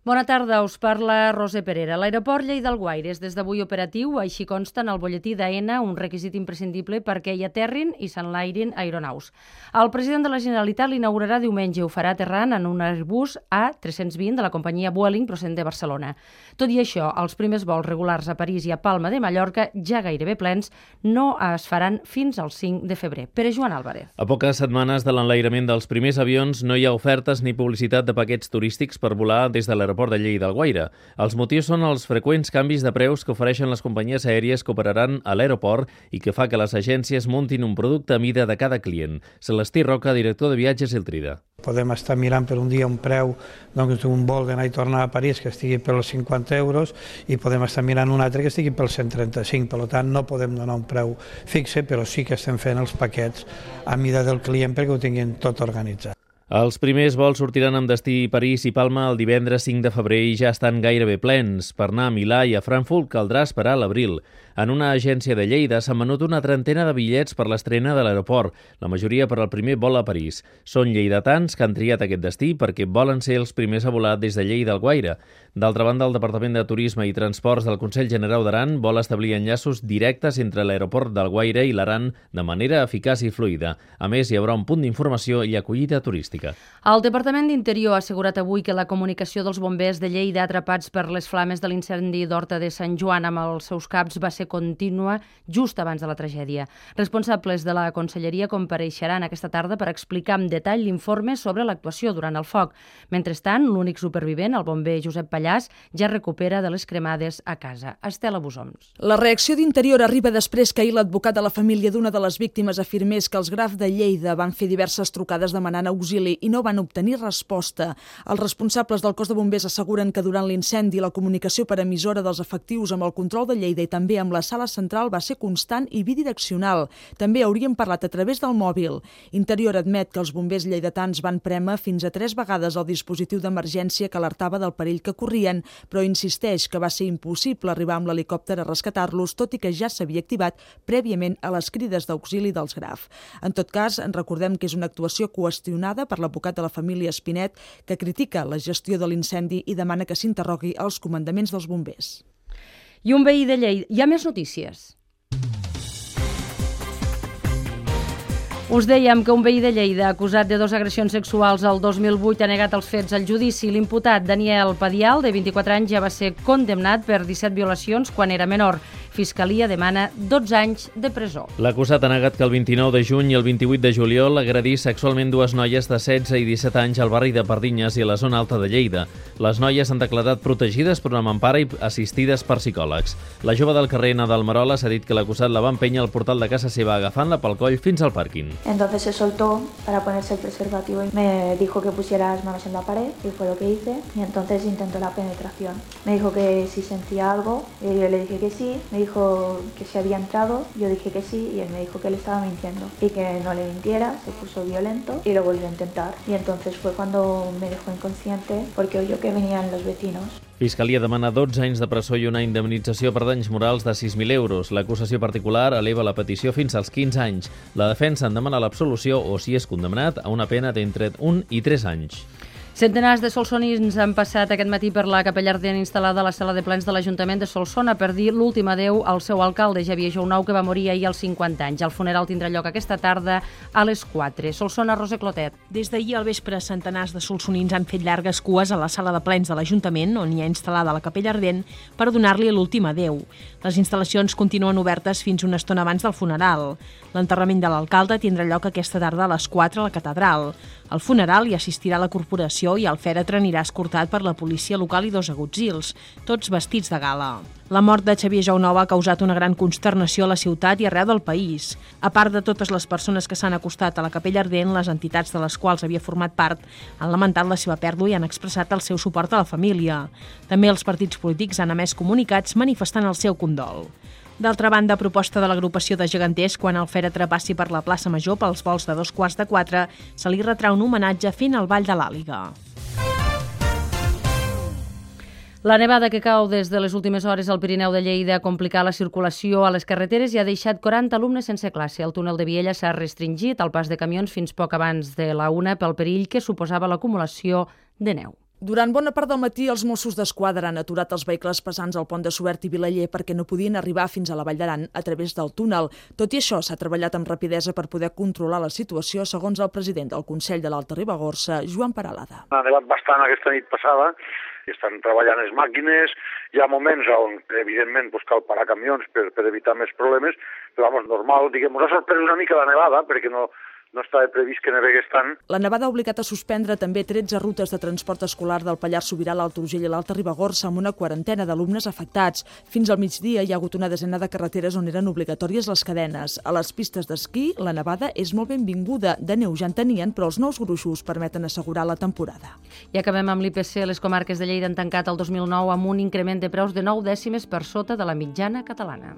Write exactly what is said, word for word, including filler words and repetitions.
Bona tarda, us parla Roser Perera. L'aeroport Lleida-Alguaire és des d'avui operatiu, així consta en el butlletí d'AENA, un requisit imprescindible perquè hi aterrin i s'enlairin aeronaus. El president de la Generalitat l'inaugurarà diumenge, ho farà aterrant en un Airbus A tres-cents vint de la companyia Vueling procedent de Barcelona. Tot i això, els primers vols regulars a París i a Palma de Mallorca, ja gairebé plens, no es faran fins al cinc de febrer. Pere Joan Álvarez. A poques setmanes de l'enlairament dels primers avions no hi ha ofertes ni publicitat de paquets turístics per volar des de l'aeroport l'aeroport de Lleida-Alguaire. Els motius són els freqüents canvis de preus que ofereixen les companyies aèries que operaran a l'aeroport i que fa que les agències muntin un producte a mida de cada client. Celestí Roca, director de viatges Iltrida. Podem estar mirant per un dia un preu doncs, d'un vol d'anar i tornar a París que estigui per els cinquanta euros i podem estar mirant un altre que estigui per cent trenta-cinc. Per tant, no podem donar un preu fixe, però sí que estem fent els paquets a mida del client perquè ho tinguin tot organitzat. Els primers vols sortiran amb destí París i Palma el divendres cinc de febrer i ja estan gairebé plens. Per anar a Milà i a Frankfurt caldrà esperar a l'abril. En una agència de Lleida s'han venut una trentena de bitllets per l'estrena de l'aeroport, la majoria per al primer vol a París. Són lleidatans que han triat aquest destí perquè volen ser els primers a volar des de Lleida-Alguaire. D'altra banda, el Departament de Turisme i Transports del Consell Generau d'Aran vol establir enllaços directes entre l'aeroport d'Alguaire i l'Aran de manera eficaç i fluida. A més, hi haurà un punt d'informació i acollida turística. El Departament d'Interior ha assegurat avui que la comunicació dels bombers de Lleida atrapats per les flames de l'incendi d'Horta de Sant Joan amb els seus caps va ser contínua just abans de la tragèdia. Responsables de la Conselleria compareixeran aquesta tarda per explicar amb detall l'informe sobre l'actuació durant el foc. Mentrestant, l'únic supervivent, el bomber Josep Pallàs, ja recupera de les cremades a casa. Estela Busoms. La reacció d'Interior arriba després que ahir l'advocat de la família d'una de les víctimes afirmés que els Graf de Lleida van fer diverses trucades demanant auxili i no van obtenir resposta. Els responsables del cos de bombers asseguren que durant l'incendi la comunicació per emissora dels efectius amb el control de Lleida i també amb la sala central va ser constant i bidireccional. També haurien parlat a través del mòbil. Interior admet que els bombers lleidatans van prémer fins a tres vegades el dispositiu d'emergència que alertava del perill que corrien, però insisteix que va ser impossible arribar amb l'helicòpter a rescatar-los, tot i que ja s'havia activat prèviament a les crides d'auxili dels Graf. En tot cas, en recordem que és una actuació qüestionada per l'advocat de la família Espinet, que critica la gestió de l'incendi i demana que s'interrogui els comandaments dels bombers. I un veí de Lleida. Hi ha més notícies. Us dèiem que un veí de Lleida acusat de dues agressions sexuals el dos mil vuit ha negat els fets al judici. L'imputat Daniel Padial, de vint-i-quatre anys, ja va ser condemnat per disset violacions quan era menor. Fiscalia demana dotze anys de presó. L'acusat ha negat que el vint-i-nou de juny i el vint-i-vuit de juliol agredís sexualment dues noies de setze i disset anys al barri de Pardinyes i a la zona alta de Lleida. Les noies han declarat protegides per una mampara i assistides per psicòlegs. La jove del carrer Nadal Maroles ha dit que l'acusat la va empènyer al portal de casa seva agafant-la pel coll fins al pàrquing. Entonces se soltó para ponerse el preservativo y me dijo que pusiera las manos en la pared y fue lo que hice y entonces intentó la penetración. Me dijo que si sentía algo y yo le dije que sí, me dijo que se había entrado, yo dije que sí y él me dijo que le estaba mintiendo y que no le mintiera, se puso violento y lo volvió a intentar y entonces fue cuando me dejó inconsciente porque oyó que venían los vecinos. Fiscalia demana dotze anys de presó i una indemnització per danys morals de sis mil euros. L'acusació particular eleva la petició fins als quinze anys. La defensa en demana l'absolució o, si és condemnat, a una pena d'entre un i tres anys. Centenars de solsonins han passat aquest matí per la capella ardent instal·lada a la sala de plens de l'Ajuntament de Solsona per dir l'últim adeu al seu alcalde, Xavier Jounou, que va morir ahir als cinquanta anys. El funeral tindrà lloc aquesta tarda a les quatre. Solsona, Rosa Clotet. Des d'ahir al vespre, centenars de solsonins han fet llargues cues a la sala de plens de l'Ajuntament, on hi ha instal·lada la capella ardent, per donar-li l'últim adeu. Les instal·lacions continuen obertes fins una estona abans del funeral. L'enterrament de l'alcalde tindrà lloc aquesta tarda a les quatre a la catedral. Al funeral hi assistirà la corporació i el fèretre anirà escortat per la policia local i dos agutzils, tots vestits de gala. La mort de Xavier Jounou ha causat una gran consternació a la ciutat i arreu del país. A part de totes les persones que s'han acostat a la capella ardent, les entitats de les quals havia format part han lamentat la seva pèrdua i han expressat el seu suport a la família. També els partits polítics han emès comunicats manifestant el seu condol. D'altra banda, a proposta de l'agrupació de geganters, quan el fèretre passi per la plaça Major pels vols de dos quarts de quatre, se li retrà un homenatge fent el Ball de l'Àliga. La nevada que cau des de les últimes hores al Pirineu de Lleida ha complicat la circulació a les carreteres i ha deixat quaranta alumnes sense classe. El túnel de Viella s'ha restringit al pas de camions fins poc abans de la una pel perill que suposava l'acumulació de neu. Durant bona part del matí, els Mossos d'Esquadra han aturat els vehicles pesants al pont de Suert i Vilaller perquè no podien arribar fins a la Vall d'Aran a través del túnel. Tot i això, s'ha treballat amb rapidesa per poder controlar la situació, segons el president del Consell de l'Alta Ribagorça, Joan Peralada. Ha nevat bastant aquesta nit passada, i estan treballant les màquines. Hi ha moments on, evidentment, pues, cal parar camions per, per evitar més problemes, però, vamos, normal, diguem, ens ha sorprès una mica la nevada, perquè no... no estava previst que nevegués tant. La nevada ha obligat a suspendre també tretze rutes de transport escolar del Pallars Sobirà, l'Alt Urgell i l'Alta Ribagorça, amb una quarantena d'alumnes afectats. Fins al migdia hi ha hagut una desena de carreteres on eren obligatòries les cadenes. A les pistes d'esquí, la nevada és molt benvinguda. De neu ja en tenien, però els nous gruixos permeten assegurar la temporada. I acabem amb l'I P C. Les comarques de Lleida han tancat el dos mil nou amb un increment de preus de nou dècimes per sota de la mitjana catalana.